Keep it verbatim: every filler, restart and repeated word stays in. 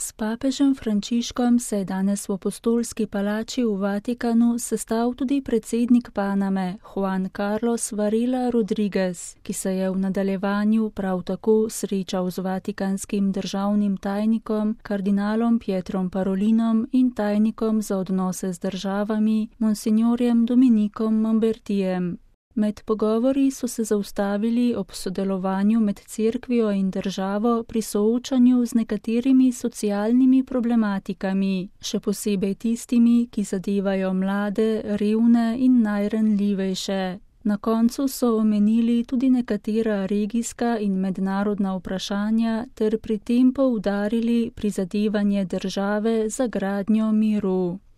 S papežem Frančiškom se je danes v Apostolski palači v Vatikanu sestal tudi predsednik Paname Juan Carlos Varela Rodriguez, ki se je v nadaljevanju prav tako srečal z vatikanskim državnim tajnikom kardinalom Pietrom Parolinom in tajnikom za odnose z državami monsignorjem Dominikom Mambertijem. Med pogovori so se zaustavili ob sodelovanju med cerkvijo in državo pri soočanju z nekaterimi socialnimi problematikami, še posebej tistimi, ki zadevajo mlade, revne in najranljivejše. Na koncu so omenili tudi nekatera regijska in mednarodna vprašanja ter pri tem poudarili prizadevanje države za gradnjo miru.